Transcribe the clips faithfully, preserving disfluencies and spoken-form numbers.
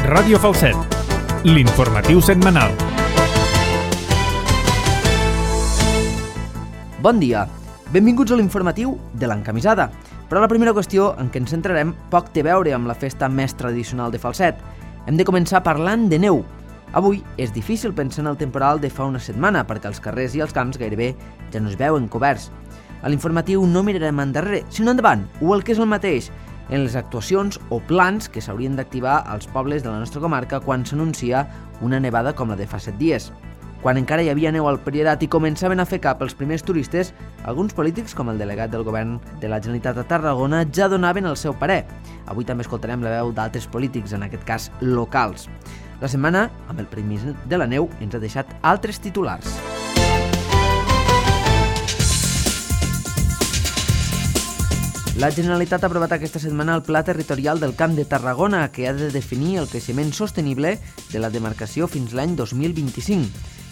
Ràdio Falset, l'informatiu setmanal. Bon dia, benvinguts a l'informatiu de l'Encamisada. Però la primera qüestió en què ens centrarem poc té a veure amb la festa més tradicional de Falset. Hem de començar parlant de neu. Avui és difícil pensar en el temporal de fa una setmana perquè els carrers i els camps gairebé ja no es veuen coberts. A l'informatiu no mirarem endarrere, sinó endavant, o el que és el mateix, en les actuacions o plans que s'haurien d'activar als pobles de la nostra comarca quan s'anuncia una nevada com la de fa set dies. Quan encara hi havia neu al Priorat i començaven a fer cap els primers turistes, alguns polítics, com el delegat del govern de la Generalitat a Tarragona, ja donaven el seu parer. Avui també escoltarem la veu d'altres polítics, en aquest cas locals. La setmana, amb el permís de la neu, ens ha deixat altres titulars. La Generalitat ha aprovat aquesta setmana el Pla Territorial del Camp de Tarragona, que ha de definir el creixement sostenible de la demarcació fins l'any dos mil vint-i-cinc.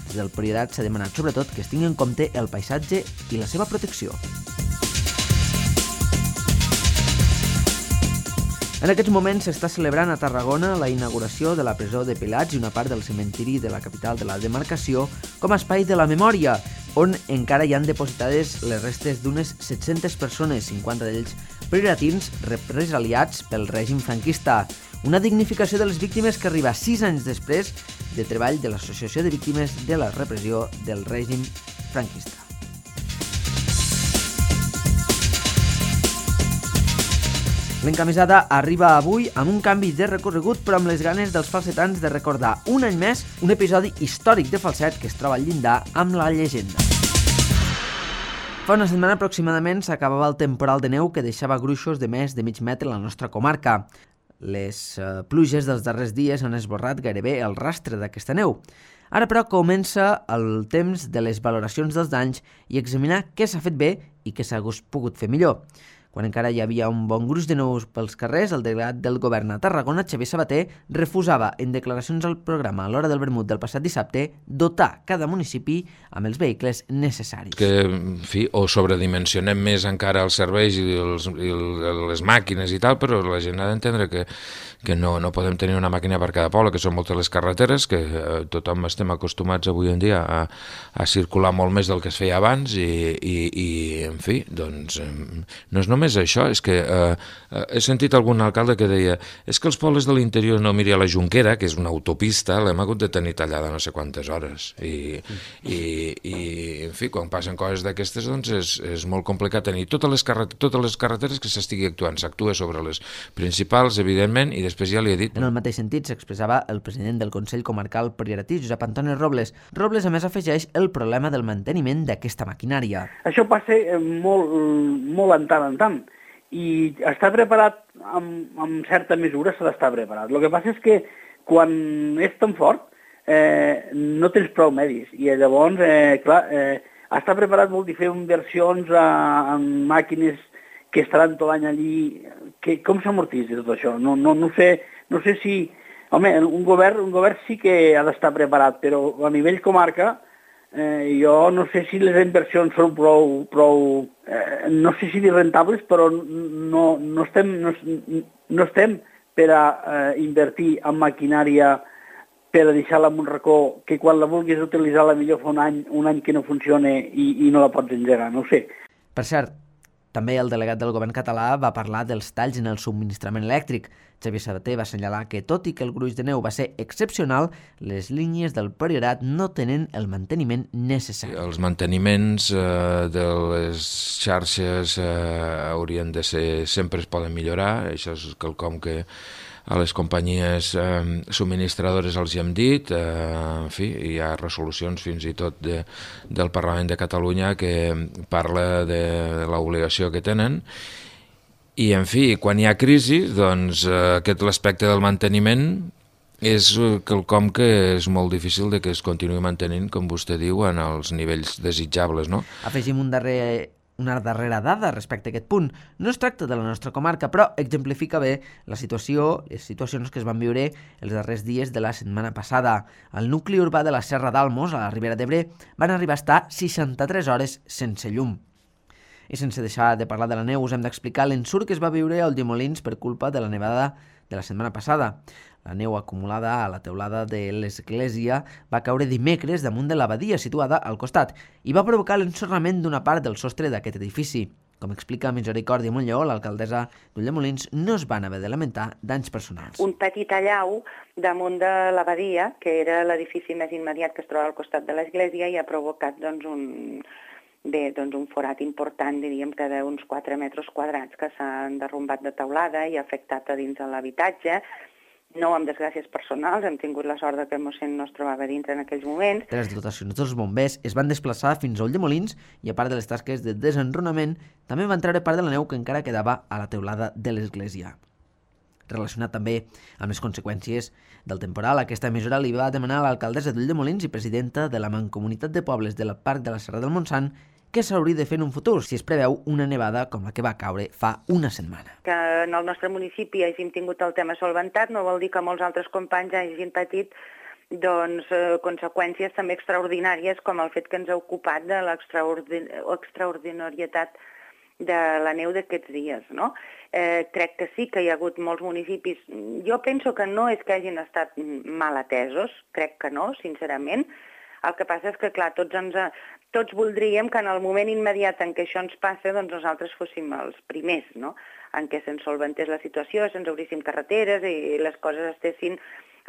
Des del Priorat s'ha demanat sobretot que es tingui en compte el paisatge i la seva protecció. En aquests moments s'està celebrant a Tarragona la inauguració de la presó de Pelats i una part del cementiri de la capital de la demarcació com a espai de la memòria, on encara hi han depositades les restes d'unes set-centes persones, cinquanta d'ells prioratins represaliats pel règim franquista. Una dignificació de les víctimes que arriba sis anys després de treball de l'Associació de Víctimes de la Repressió del Règim Franquista. L'Encamisada arriba avui amb un canvi de recorregut, però amb les ganes dels falsetans de recordar un any més un episodi històric de Falset que es troba al llindar amb la llegenda. Fa una setmana aproximadament s'acabava el temporal de neu que deixava gruixos de més de mig metre a la nostra comarca. Les eh, pluges dels darrers dies han esborrat gairebé el rastre d'aquesta neu. Ara, però, comença el temps de les valoracions dels danys i examinar què s'ha fet bé i què s'ha pogut fer millor. Quan encara hi havia un bon gruix de neus pels carrers, el delegat del govern a Tarragona, Xavier Sabater, refusava en declaracions al programa a l'Hora del Vermut del passat dissabte dotar cada municipi amb els vehicles necessaris. Que, en fi, o sobredimensionem més encara els serveis i, els, i les màquines i tal, però la gent ha d'entendre que, que no, no podem tenir una màquina per cada poble, que són moltes les carreteres, que eh, tothom estem acostumats avui en dia a, a circular molt més del que es feia abans i, i, i en fi, doncs eh, no és només és això, és que eh, he sentit algun alcalde que deia és que els pobles de l'interior no miri a la Jonquera, que és una autopista, l'hem hagut de tenir tallada no sé quantes hores i, i, i en fi, quan passen coses d'aquestes doncs és, és molt complicat tenir totes les, carret totes les carreteres que s'estigui actuant, s'actua sobre les principals, evidentment, i després ja li he dit. En el mateix sentit s'expressava el president del Consell Comarcal Prioratí, Josep Antoni Robles. Robles, a més, afegeix el problema del manteniment d'aquesta maquinària. Això passa molt, molt en tant en tant. I estar preparat amb, amb certa mesura s'ha d'estar preparat. El que passa és que quan és tan fort eh, no tens prou medis i llavors, eh, clar, eh, estar preparat vol dir fer inversions a, en màquines que estaran tot l'any allí. Que, com s'amortitza tot això? No, no, no, sé, no sé si... Home, un govern, un govern sí que ha d'estar preparat, però a nivell comarca Eh, jo no sé si les inversions són prou, prou eh, no sé si dir rentables, però no, no, estem, no, no estem per a eh, invertir en maquinària per a deixar-la en un racó que quan la vulguis utilitzar la millor fa un any, un any que no funciona i, i no la pots engegar, no ho sé. Per cert, també el delegat del govern català va parlar dels talls en el subministrament elèctric. Xavier Sabater va assenyalar que, tot i que el gruix de neu va ser excepcional, les línies del Priorat no tenen el manteniment necessari. Els manteniments eh, de les xarxes eh, haurien de ser... sempre es poden millorar, això és quelcom que a les companyies eh, subministradores els hi hem dit, eh, en fi, hi ha resolucions fins i tot de, del Parlament de Catalunya que parla de, de l'obligació que tenen. I, en fi, quan hi ha crisi, doncs eh, aquest l'aspecte del manteniment és quelcom que és molt difícil de que es continuï mantenint, com vostè diu, en els nivells desitjables, no? Afegim un darrer... una darrera dada respecte a aquest punt. No es tracta de la nostra comarca, però exemplifica bé la situació, les situacions que es van viure els darrers dies de la setmana passada. Al nucli urbà de la Serra d'Almos, a la Ribera d'Ebre, van arribar a estar seixanta-tres hores sense llum. I sense deixar de parlar de la neu, us hem d'explicar l'ensurt que es va viure a Ulldemolins per culpa de la nevada de la setmana passada. La neu acumulada a la teulada de l'església va caure dimecres damunt de l'abadia situada al costat i va provocar l'ensorrament d'una part del sostre d'aquest edifici. Com explica Misericòrdia Montlleó, l'alcaldessa d'Ulldemolins, no es van haver de lamentar danys personals. Un petit allau damunt de l'abadia, que era l'edifici més immediat que es troba al costat de l'església, i ha provocat doncs, un, bé, doncs, un forat important, diríem que d'uns quatre metres quadrats, que s'han derrumbat de teulada i ha afectat a dins de l'habitatge. No amb desgràcies personals, hem tingut la sort que el mossèn no es trobava dintre en aquells moments. Les dotacions dels bombers es van desplaçar fins a Ulldemolins i, a part de les tasques de desenrunament, també van treure part de la neu que encara quedava a la teulada de l'església. Relacionat també amb les conseqüències del temporal, aquesta emissora li va demanar a l'alcaldessa d'Ulldemolins i presidenta de la Mancomunitat de Pobles del Parc de la Serra del Montsant què s'hauria de fer en un futur si es preveu una nevada com la que va caure fa una setmana. Que en el nostre municipi hàgim tingut el tema solventat no vol dir que molts altres companys hagin patit doncs, eh, conseqüències també extraordinàries, com el fet que ens ha ocupat de l'extraordinarietat de la neu d'aquests dies. No? Eh, crec que sí que hi ha hagut molts municipis. Jo penso que no és que hagin estat mal atesos, crec que no, sincerament. El que passa és que, clar, tots, ens, tots voldríem que en el moment immediat en què això ens passa, doncs nosaltres fóssim els primers, no? En què se'ns solventés la situació, se'ns obríssim carreteres i les coses estessin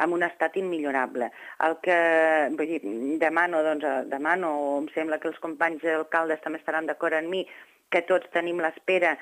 en un estat immillorable. El que vull dir, demano, doncs, demano, o em sembla que els companys alcaldes també estaran d'acord amb mi, que tots tenim l'espera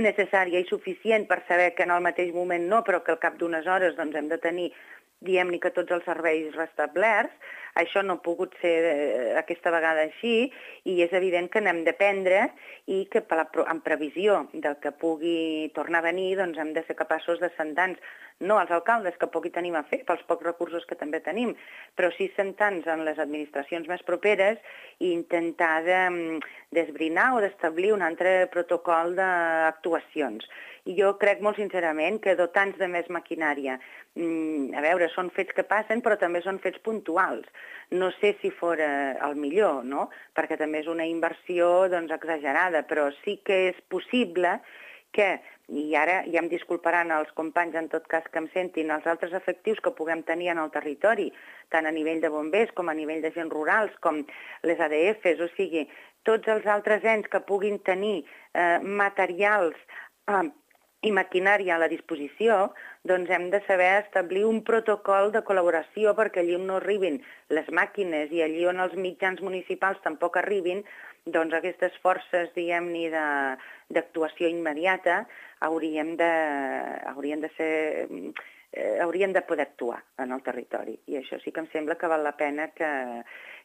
necessària i suficient per saber que en el mateix moment no, però que al cap d'unes hores doncs, hem de tenir diguem-ne que tots els serveis restablerts. Això no ha pogut ser eh, aquesta vegada així i és evident que n'hem de prendre i que per la, en previsió del que pugui tornar a venir doncs hem de ser capaços de sentar-nos, no als alcaldes que poc hi tenim a fer, pels pocs recursos que també tenim, però sí sentar-nos en les administracions més properes i intentar de, d'esbrinar o d'establir un altre protocol d'actuacions. I jo crec molt sincerament que dotar-nos de més maquinària, a veure, són fets que passen, però també són fets puntuals. No sé si fora el millor, no? Perquè també és una inversió doncs, exagerada, però sí que és possible que, i ara ja em disculparan els companys en tot cas que em sentin, els altres efectius que puguem tenir en el territori, tant a nivell de bombers com a nivell d'agents rurals, com les A D Fs, o sigui, tots els altres ens que puguin tenir eh, materials eh, i maquinària a la disposició, doncs hem de saber establir un protocol de col·laboració perquè allí on no arribin les màquines i allí on els mitjans municipals tampoc arribin, doncs aquestes forces, diguem-ne, d'actuació immediata haurien de, haurien de ser... Eh, haurien de poder actuar en el territori. I això sí que em sembla que val la pena que,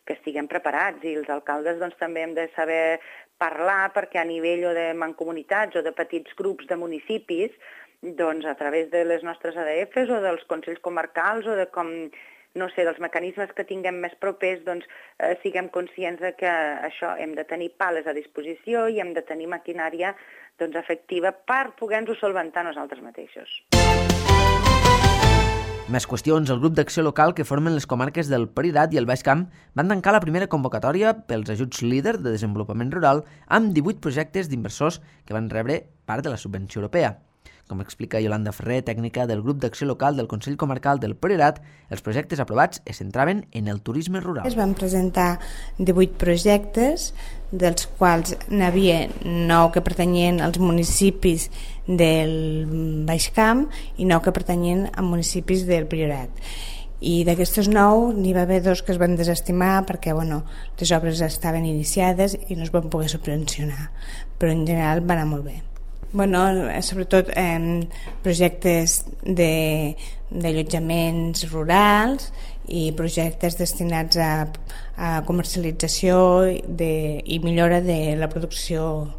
que estiguem preparats i els alcaldes doncs, també hem de saber parlar perquè a nivell o de mancomunitats o de petits grups de municipis, doncs a través de les nostres A D Fs o dels consells comarcals o de com, no sé, dels mecanismes que tinguem més propers, doncs eh, siguem conscients de que això hem de tenir pales a disposició i hem de tenir maquinària doncs, efectiva per poder-nos-ho solventar nosaltres mateixos. Més qüestions. El grup d'acció local que formen les comarques del Priorat i el Baix Camp van tancar la primera convocatòria pels ajuts líder de desenvolupament rural amb divuit projectes d'inversors que van rebre part de la subvenció europea. Com explica Yolanda Ferrer, tècnica del grup d'acció local del Consell Comarcal del Priorat, els projectes aprovats es centraven en el turisme rural. Es van presentar divuit projectes, dels quals n'hi havia nou que pertanyien als municipis del Baix Camp i nou que pertanyien a municipis del Priorat. I d'aquestos nou n'hi va haver dos que es van desestimar perquè bueno, les obres estaven iniciades i no es van poder subvencionar, però en general va anar molt bé. Bueno, sobretot eh, projectes d'allotjaments de, rurals i projectes destinats a, a comercialització de, i millora de la producció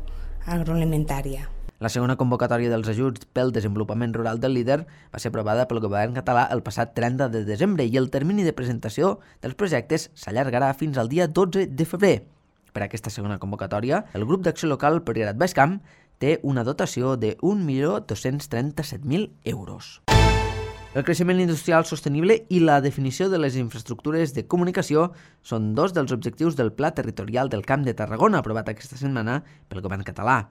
agroalimentària. La segona convocatòria dels ajuts pel desenvolupament rural del líder va ser aprovada pel govern català el passat trenta de desembre i el termini de presentació dels projectes s'allargarà fins al dia dotze de febrer. Per a aquesta segona convocatòria, el grup d'acció local Priorat Baix Camp té una dotació de un milió dos-cents trenta-set mil euros. El creixement industrial sostenible i la definició de les infraestructures de comunicació són dos dels objectius del Pla Territorial del Camp de Tarragona aprovat aquesta setmana pel govern català.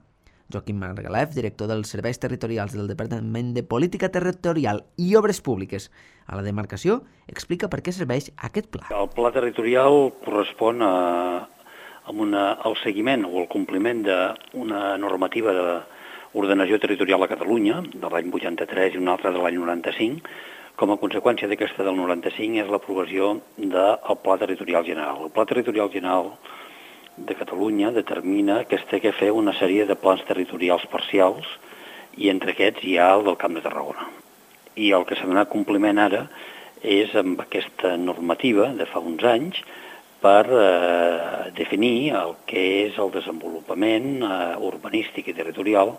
Joaquim Margalef, director dels Serveis Territorials del Departament de Política Territorial i Obres Públiques a la demarcació, explica per què serveix aquest pla. El pla territorial correspon a, a una, al seguiment o al compliment d'una normativa d'ordenació territorial a Catalunya, de l'any vuitanta-tres i una altra de l'any noranta-cinc. Com a conseqüència d'aquesta del noranta-cinc és l'aprovació del Pla Territorial General. El Pla Territorial General de Catalunya determina que es té que fer una sèrie de plans territorials parcials i entre aquests hi ha el del Camp de Tarragona. I el que s'ha donat compliment ara és amb aquesta normativa de fa uns anys per eh, definir el que és el desenvolupament eh, urbanístic i territorial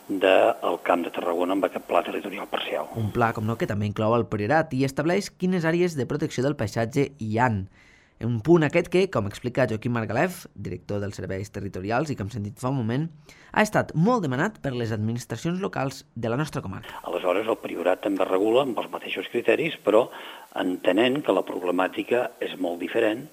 del Camp de Tarragona amb aquest pla territorial parcial. Un pla, com no, que també inclou el Priorat i estableix quines àrees de protecció del paisatge hi han. Un punt aquest que, com explica Joaquim Margalef, director dels Serveis Territorials i que hem sentit fa un moment, ha estat molt demanat per les administracions locals de la nostra comarca. Aleshores, el Priorat també regula amb els mateixos criteris, però entenent que la problemàtica és molt diferent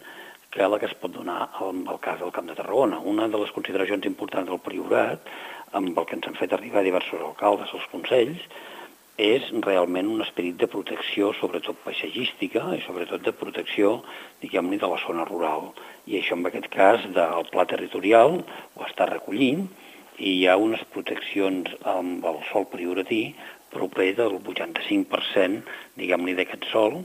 que la que es pot donar en el cas del Camp de Tarragona. Una de les consideracions importants del Priorat, amb el que ens han fet arribar diversos alcaldes als consells, és realment un esperit de protecció, sobretot paisatgística i sobretot de protecció, diguem-ne, de la zona rural. I això, en aquest cas, del pla territorial ho està recollint i hi ha unes proteccions amb el sòl prioratí proper del vuitanta-cinc per cent, diguem-ne, d'aquest sòl,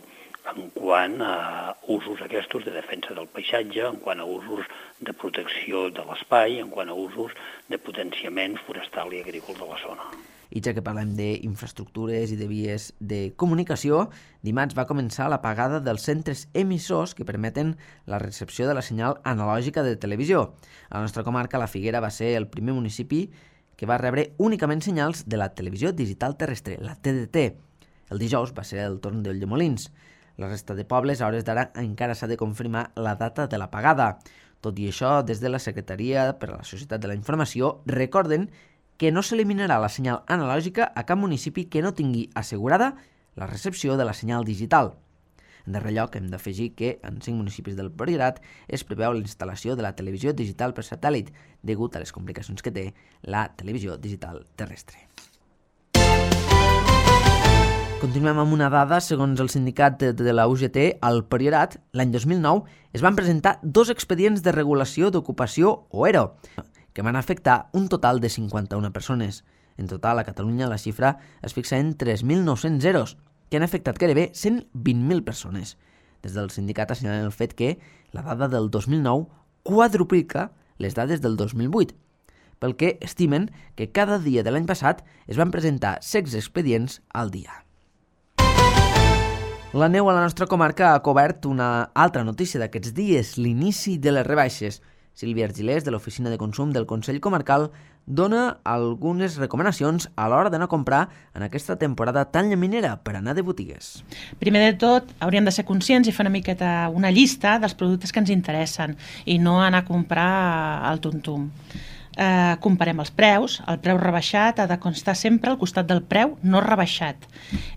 en quant a usos aquests de defensa del paisatge, en quant a usos de protecció de l'espai, en quant a usos de potenciament forestal i agrícola de la zona. I ja que parlem d'infraestructures i de vies de comunicació, dimarts va començar l'apagada dels centres emissors que permeten la recepció de la senyal analògica de televisió. A la nostra comarca, la Figuera va ser el primer municipi que va rebre únicament senyals de la televisió digital terrestre, la T D T. El dijous va ser el torn d'Ulldemolins. La resta de pobles, a hores d'ara, encara s'ha de confirmar la data de l'apagada. Tot i això, des de la Secretaria per a la Societat de la Informació, recorden que no s'eliminarà la senyal analògica a cap municipi que no tingui assegurada la recepció de la senyal digital. En darrer lloc, hem d'afegir que en cinc municipis del Priorat es preveu la instal·lació de la televisió digital per satèl·lit, degut a les complicacions que té la televisió digital terrestre. Continuem amb una dada. Segons el sindicat de la U G T, al Priorat, l'any dos mil nou, es van presentar dos expedients de regulació d'ocupació o E R O, que van afectar un total de cinquanta-una persones. En total, a Catalunya la xifra es fixa en tres mil nou-cents zeros, que han afectat gairebé cent vint mil persones. Des del sindicat assenyalen el fet que la dada del dos mil nou quadruplica les dades del dos mil vuit, pel que estimen que cada dia de l'any passat es van presentar setze expedients al dia. La neu a la nostra comarca ha cobert una altra notícia d'aquests dies, l'inici de les rebaixes. Sílvia Argilés, de l'Oficina de Consum del Consell Comarcal, dona algunes recomanacions a l'hora d'anar a comprar en aquesta temporada tan llaminera per anar de botigues. Primer de tot, hauríem de ser conscients i fer una miqueta una llista dels productes que ens interessen i no anar a comprar al tuntum. Eh, comparem els preus. El preu rebaixat ha de constar sempre al costat del preu no rebaixat,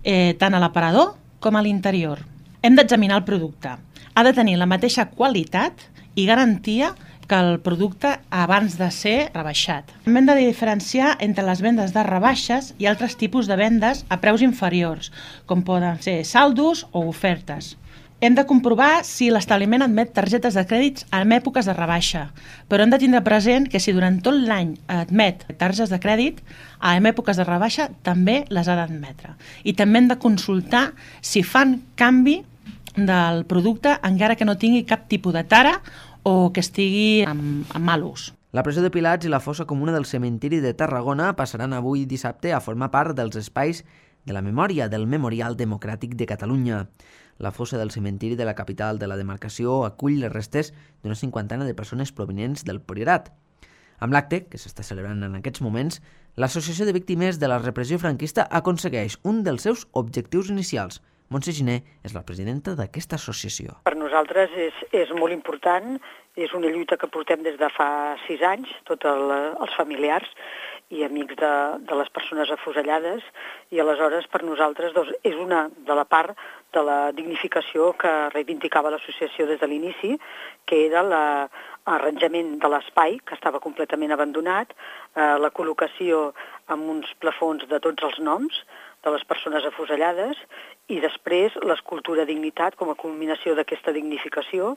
eh, tant a l'aparador com a l'interior. Hem d'examinar el producte. Ha de tenir la mateixa qualitat i garantia que el producte abans de ser rebaixat. Hem de diferenciar entre les vendes de rebaixes i altres tipus de vendes a preus inferiors, com poden ser saldos o ofertes. Hem de comprovar si l'establiment admet targetes de crèdits en èpoques de rebaixa, però hem de tindre present que si durant tot l'any admet targetes de crèdit, en èpoques de rebaixa també les ha d'admetre. I també hem de consultar si fan canvi del producte encara que no tingui cap tipus de tara o que estigui en, en mal ús. La presó de Pilats i la fossa comuna del cementiri de Tarragona passaran avui dissabte a formar part dels espais de la memòria del Memorial Democràtic de Catalunya. La fossa del cementiri de la capital de la demarcació acull les restes d'una cinquantena de persones provinents del Priorat. Amb l'acte, que s'està celebrant en aquests moments, l'Associació de Víctimes de la Repressió Franquista aconsegueix un dels seus objectius inicials. Montse Giner és la presidenta d'aquesta associació. Per nosaltres és, és molt important, és una lluita que portem des de fa sis anys, tots el, els familiars i amics de, de les persones afusellades, i aleshores per nosaltres doncs, és una de la part de la dignificació que reivindicava l'associació des de l'inici, que era la, arranjament de l'espai, que estava completament abandonat, eh, la col·locació amb uns plafons de tots els noms de les persones afusellades i després l'escultura Dignitat com a culminació d'aquesta dignificació.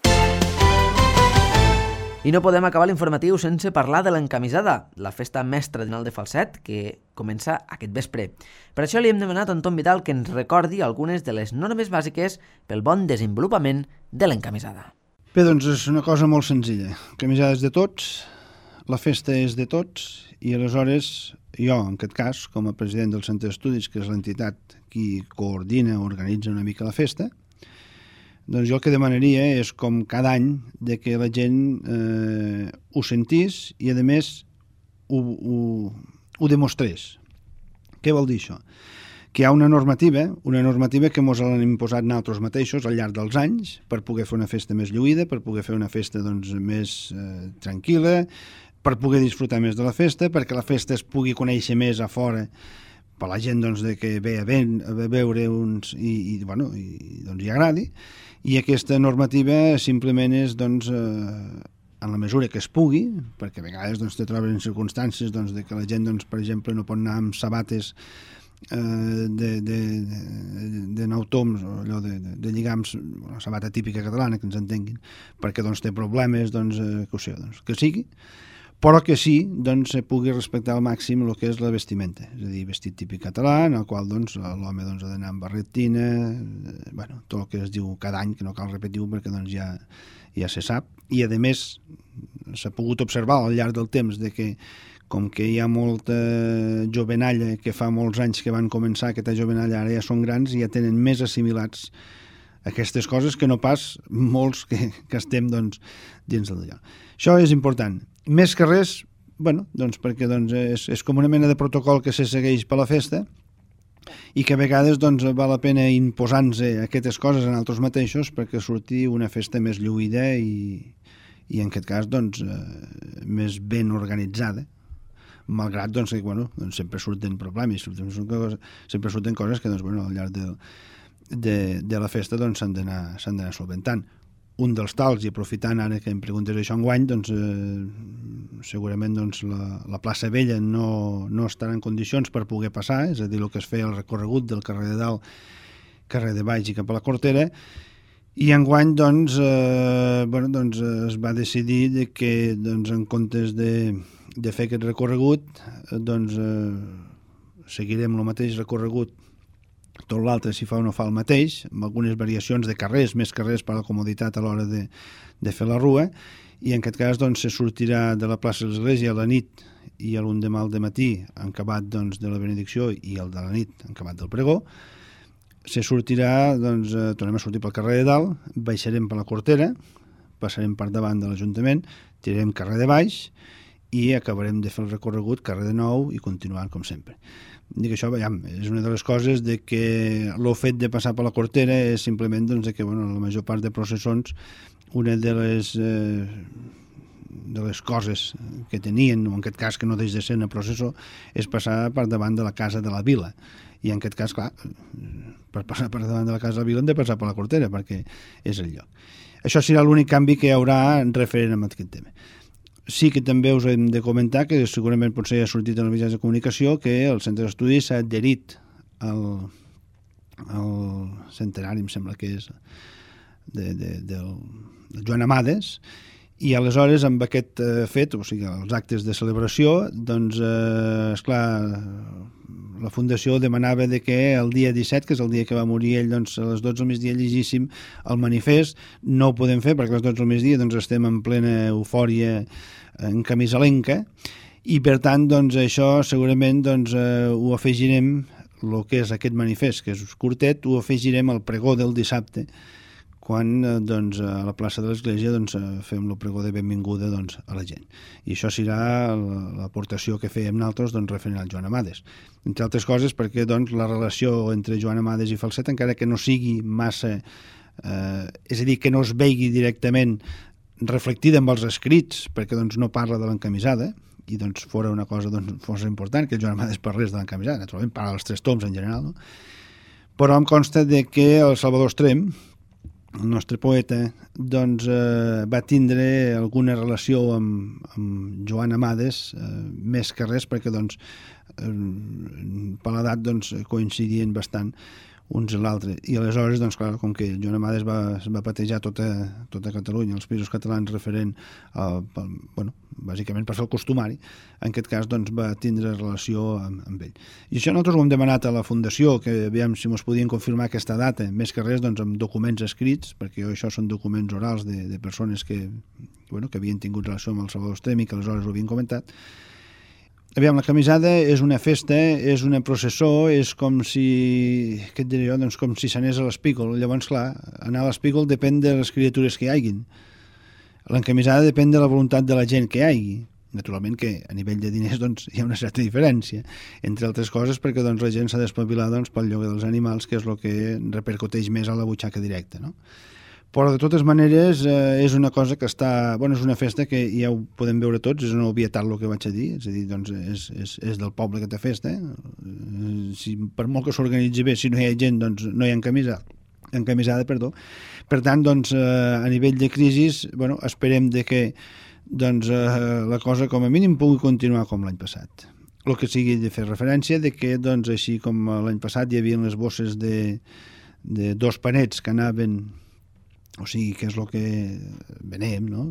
I no podem acabar l'informatiu sense parlar de l'encamisada, la festa més tradicional de Falset, que comença aquest vespre. Per això li hem demanat a en Tom Vidal que ens recordi algunes de les normes bàsiques pel bon desenvolupament de l'encamisada. Bé, doncs és una cosa molt senzilla. L'encamisada és de tots, la festa és de tots, i aleshores jo, en aquest cas, com a president del Centre d'Estudis, que és l'entitat qui coordina o organitza una mica la festa, doncs jo el que demanaria és, com cada any, de que la gent eh, ho sentís i, a més, ho, ho, ho demostrés. Què vol dir això? Que hi ha una normativa, una normativa que ens l'han imposat nosaltres mateixos al llarg dels anys per poder fer una festa més lluïda, per poder fer una festa doncs, més eh, tranquil·la, per poder disfrutar més de la festa, perquè la festa es pugui conèixer més a fora per la gent doncs, de que ve a, ben, a veure uns i, i, bueno, i doncs, hi agradi. I aquesta normativa simplement és doncs, eh, en la mesura que es pugui, perquè a vegades doncs, te trobes en circumstàncies doncs, de que la gent, doncs, per exemple, no pot anar amb sabates eh, de, de, de, de nou toms, o allò de, de, de lligams, la sabata típica catalana, que ens entenguin, perquè doncs, té problemes, doncs, eh, que ho sé, doncs, que sigui, però que sí, doncs, se pugui respectar al màxim el que és la vestimenta, és a dir, vestit típic català, en el qual doncs, l'home doncs, ha d'anar amb barretina, eh, bueno, tot el que es diu cada any, que no cal repetir-ho perquè doncs, ja, ja se sap, i a més s'ha pogut observar al llarg del temps de que com que hi ha molta jovenalla que fa molts anys que van començar aquesta jovenalla, ara ja són grans i ja tenen més assimilats aquestes coses que no pas molts que, que estem doncs, dins del lloc. Això és important. Més que res, bueno, doncs perquè doncs, és, és com una mena de protocol que se segueix per la festa i que a vegades doncs, val la pena imposar-nos aquestes coses en altres mateixos perquè surti una festa més lluïda i, i en aquest cas doncs, eh, més ben organitzada, malgrat doncs, que bueno, doncs, sempre surten problemes, surten, surten, sempre surten coses que doncs, bueno, al llarg de, de, de la festa doncs, s'han d'anar s'han d'anar solventant. Un dels tals, i aprofitant ara que em preguntes això enguany, doncs, eh, segurament doncs, la, la plaça Vella no, no estarà en condicions per poder passar, és a dir, el que es feia el recorregut del carrer de Dalt, carrer de Baix i cap a la Cortera, i enguany doncs, eh, bueno, doncs, es va decidir de que doncs, en comptes de, de fer aquest recorregut, doncs, eh, seguirem el mateix recorregut tot l'altre si fa o no fa el mateix, amb algunes variacions de carrers, més carrers per a la comoditat a l'hora de, de fer la rua, i en aquest cas doncs, se sortirà de la plaça de l'Església a la nit i a l'endemà al dematí en acabat doncs, de la benedicció i el de la nit en acabat del pregó. Se sortirà, doncs, eh, tornem a sortir pel carrer de Dalt, baixarem per la Cortera, passarem per davant de l'Ajuntament, tirarem carrer de Baix i acabarem de fer el recorregut carrer de Nou i continuant com sempre. Dic això, veiem, és una de les coses de que el fet de passar per la Cortera és simplement doncs, de que bueno, la major part de processons, una de les, eh, de les coses que tenien, o en aquest cas que no deix de ser una processó, és passar per davant de la casa de la vila. I en aquest cas, clar, per passar per davant de la casa de la vila hem de passar per la Cortera, perquè és el lloc. Això serà l'únic canvi que hi haurà referent a aquest tema. Sí que també us hem de comentar, que segurament potser ha sortit en els mitjans de comunicació, que el Centre d'Estudis s'ha adherit al, al centenari, em sembla que és, de, de, del, del Joan Amades, i aleshores amb aquest eh, fet, o sigui, els actes de celebració, doncs, eh, esclar, la Fundació demanava de que el dia disset, que és el dia que va morir ell, doncs, a les dotze del migdia llegíssim el manifest. No ho podem fer perquè a les dotze del migdia doncs, estem en plena eufòria en camisalenca i per tant doncs, això segurament doncs, eh, ho afegirem, el que és aquest manifest, que és curtet, ho afegirem al pregó del dissabte, quan eh, doncs, a la plaça de l'Església doncs, fem el pregó de benvinguda doncs, a la gent. I això serà l'aportació que fèiem nosaltres doncs, referent al Joan Amades. Entre altres coses perquè doncs, la relació entre Joan Amades i Falset, encara que no sigui massa, eh, és a dir, que no es vegi directament reflectida amb els escrits, perquè doncs, no parla de l'encamisada, i doncs fora una cosa doncs, força important, que el Joan Amades parlés de l'encamisada, naturalment parla dels tres toms en general, no? Però em consta de que el Salvador Estrem, el nostre poeta, doncs eh, va tindre alguna relació amb, amb Joan Amades, eh, més que res perquè doncs, eh, per l'edat doncs, coincidien bastant uns i l'altre. I aleshores, doncs, clar, com que Joan Amades va, va patejar tota, tota Catalunya, els països catalans referent a, pel, bueno, bàsicament per fer el costumari, en aquest cas doncs, va tindre relació amb, amb ell. I això nosaltres ho hem demanat a la Fundació, que aviam si ens podien confirmar aquesta data, més que res doncs, amb documents escrits, perquè això són documents orals de, de persones que, bueno, que havien tingut relació amb el Salvador Estremi, que aleshores ho havien comentat. Aviam, la camisada és una festa, és una processó, és com si, què et diré jo, doncs com si s'anés a l'Espígol. Llavors, clar, anar a l'Espígol depèn de les criatures que hi haguin. L'encamisada depèn de la voluntat de la gent que hi hagi. Naturalment que a nivell de diners doncs, hi ha una certa diferència, entre altres coses perquè doncs, la gent s'ha d'espavilar doncs, pel lloguer dels animals, que és el que repercuteix més a la butxaca directa, no? Però de totes maneres eh, és una cosa que està... Bueno, és una festa que ja ho podem veure tots, és una obvietat el que vaig a dir, és a dir, doncs és, és, és del poble aquesta festa. Eh? Si, per molt que s'organitzi bé, si no hi ha gent, doncs no hi ha encamisada, encamisada perdó. Per tant, doncs, eh, a nivell de crisi, bueno, esperem de que doncs, eh, la cosa com a mínim pugui continuar com l'any passat. El que sigui de fer referència de que, doncs, així com l'any passat hi havia les bosses de, de dos panets que anaven... O sigui, que és el que venem, no?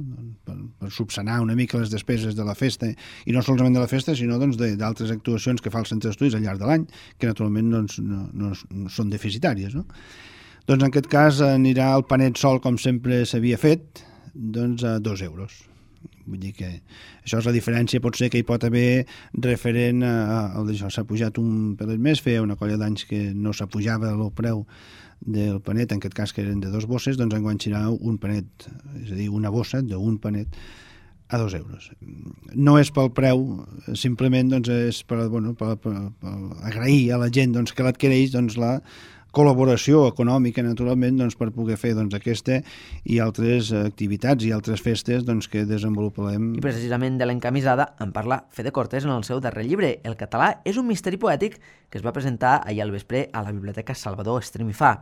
Per, per subsanar una mica les despeses de la festa, i no solament de la festa, sinó doncs, d'altres actuacions que fa el Centre d'Estudis al llarg de l'any, que naturalment doncs, no, no, no són deficitàries. No? Doncs en aquest cas anirà el panet sol, com sempre s'havia fet, doncs a dos euros. Vull dir que això és la diferència, pot ser que hi pot haver referent a, a això, s'ha pujat un pelet més, feia una colla d'anys que no s'apujava el preu del panet, en aquest cas que eren de dos bosses, doncs enguany serà un panet, és a dir, una bossa d'un panet a dos euros. No és pel preu, simplement doncs, és per, bueno, per, per, per agrair a la gent doncs, que l'adquireix doncs, la col·laboració econòmica, naturalment, doncs, per poder fer doncs, aquesta i altres activitats i altres festes doncs, que desenvolupem. I precisament de l'encamisada en parla Fede Cortés en el seu darrer llibre, El català és un misteri poètic, que es va presentar ahir al vespre a la Biblioteca Salvador Estremi Fa.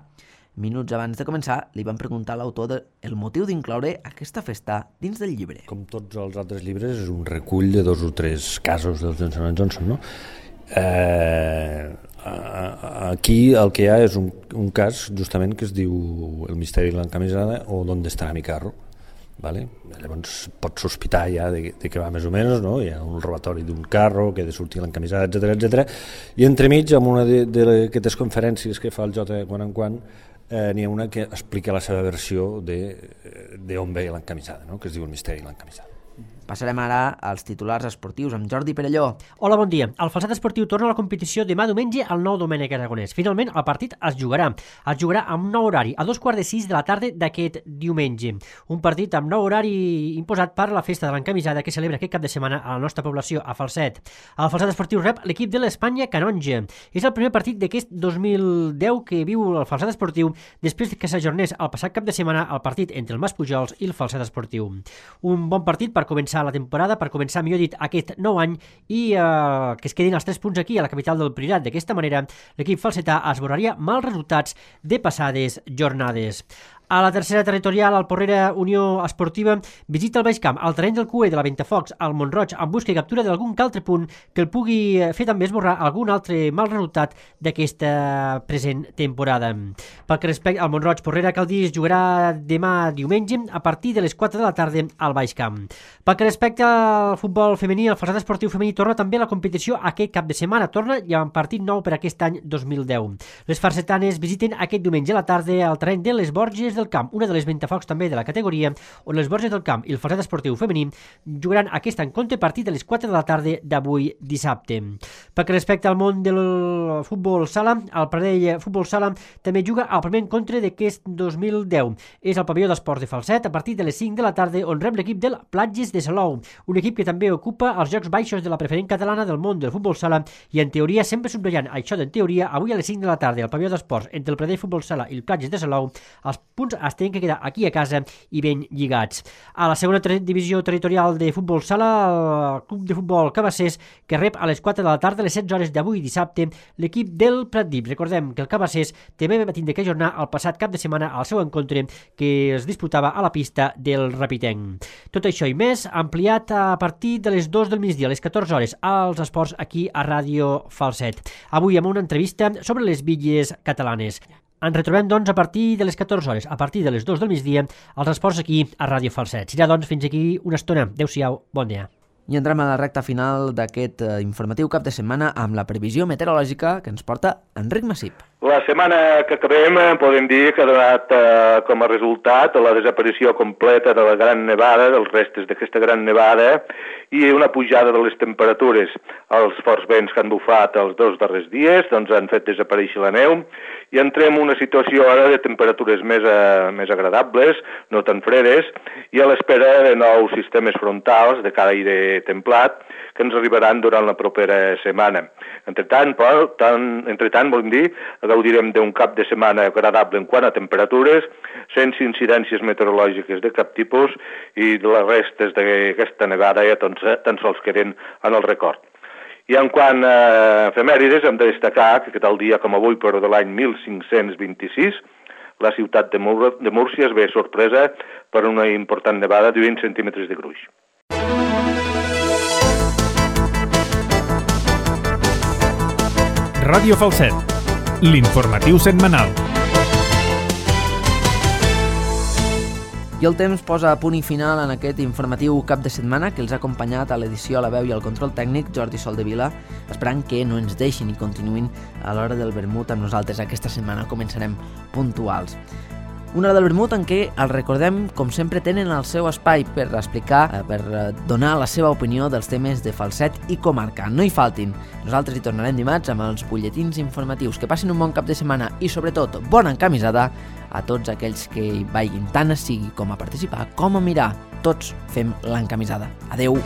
Minuts abans de començar, li van preguntar a l'autor el motiu d'incloure aquesta festa dins del llibre. Com tots els altres llibres, és un recull de dos o tres casos del Johnson and Johnson, no? Eh, aquí el que hi ha és un, un cas justament que es diu El misteri de l'encamisada o D'on estarà mi carro, vale? Llavors pots sospitar ja de, de què va més o menys, no? Hi ha un robatori d'un carro que ha de sortir l'encamisada, etcètera, etcètera. I entremig, amb una d'aquestes conferències que fa el Jota de quan en quan, eh, n'hi ha una que explica la seva versió d'on ve l'encamisada, no? Que es diu El misteri de l'encamisada. Passarem ara als titulars esportius amb Jordi Perelló. Hola, bon dia. El Falset Esportiu torna a la competició demà diumenge al nou Domènec Aragonès. Finalment, el partit es jugarà. Es jugarà amb nou horari, a dos quarts de sis de la tarda d'aquest diumenge. Un partit amb nou horari imposat per la festa de l'encamisada que celebra aquest cap de setmana a la nostra població, a Falset. El Falset Esportiu rep l'equip de l'Espanya Canonge. És el primer partit d'aquest dos mil deu que viu el Falset Esportiu després que s'ajornés el passat cap de setmana el partit entre el Mas Pujols i el Falset Esportiu. Un bon partit per començar la temporada, per començar, millor dit, aquest nou any i eh, que es quedin els tres punts aquí a la capital del Priorat. D'aquesta manera, l'equip falsetà esborraria mals resultats de passades jornades. A la tercera territorial, el Porrera Unió Esportiva visita el Baix Camp, al terreny del C U E de la Ventafocs, al Montroig, en busca i captura d'algun altre punt que el pugui fer també esborrar algun altre mal resultat d'aquesta present temporada. Pel que respecta al Montroig, Porrera, cal dir, es jugarà demà diumenge a partir de les quatre de la tarda al Baix Camp. Pel que respecta al futbol femení, el Falset Esportiu femení torna també a la competició aquest cap de setmana. Torna i amb partit nou per aquest any dos mil deu. Les falsetanes visiten aquest diumenge a la tarda al terreny de les Borges del Camp, una de les Ventafocs també de la categoria, on les Borges del Camp i el Falset Esportiu femení jugaran aquest encontre a partir de les quatre de la tarda d'avui dissabte. Pel que respecta al món del futbol sala, el Pradell Futbol Sala també juga al primer encontre d'aquest dos mil deu. És el pavelló d'esports de Falset a partir de les cinc de la tarda, on rep l'equip del Platges de Salou, un equip que també ocupa els jocs baixos de la preferent catalana del món del futbol sala i en teoria, sempre subratllant això d'en teoria, avui a les cinc de la tarda al pavelló d'esports entre el Pradell Futbol Sala i el Platges de Salou, els punts es tenen que quedar aquí a casa i ben lligats. A la segona ter divisió territorial de futbol sala, el Club de Futbol Cabassers, que rep a les quatre de la tarda, a les setze hores d'avui dissabte, l'equip del Pratdip. Recordem que el Cabassers també va tindre que ajornar el passat cap de setmana al seu encontre que es disputava a la pista del Rapitenc. Tot això i més ampliat a partir de les dues del migdia, a les catorze hores, als esports aquí a Ràdio Falset. Avui amb una entrevista sobre les bitlles catalanes. Ens retrobem, doncs, a partir de les catorze hores, a partir de les dues del migdia, als esports aquí a Ràdio Falset. Serà, doncs, fins aquí una estona. Adéu-siau, bon dia. I entrem a la recta final d'aquest eh, informatiu cap de setmana amb la previsió meteorològica que ens porta Enric Massip. La setmana que acabem podem dir que ha donat eh, com a resultat la desaparició completa de la gran nevada, dels restes d'aquesta gran nevada, i una pujada de les temperatures. Els forts vents que han bufat els dos darrers dies doncs, han fet desaparèixer la neu i entrem en una situació ara de temperatures més, eh, més agradables, no tan fredes, i a l'espera de nous sistemes frontals de caire templat que ens arribaran durant la propera setmana. Entretant, però, tant, entretant volem dir, gaudirem d'un cap de setmana agradable en quant a temperatures, sense incidències meteorològiques de cap tipus, i les restes d'aquesta nevada ja tan, tan sols queden en el record. I en quant a efemèrides, hem de destacar que tal dia com avui, però de l'any mil cinc-cents vint-i-sis, la ciutat de, Múr de Múrcia es ve sorpresa per una important nevada de vint centímetres de gruix. Ràdio Falset, l'informatiu setmanal. I el temps posa a punt i final en aquest informatiu cap de setmana que els ha acompanyat a l'edició, a la veu i al control tècnic Jordi Soldevila, esperant que no ens deixin i continuïn a l'hora del vermut amb nosaltres aquesta setmana. Començarem puntuals. Una hora del vermut en què, el recordem, com sempre tenen el seu espai per explicar, per donar la seva opinió dels temes de Falset i comarca. No hi faltin. Nosaltres hi tornarem dimarts amb els butlletins informatius. Que passin un bon cap de setmana i, sobretot, bona encamisada a tots aquells que hi vagin tant a sigui com a participar com a mirar. Tots fem l'encamisada. Adeu!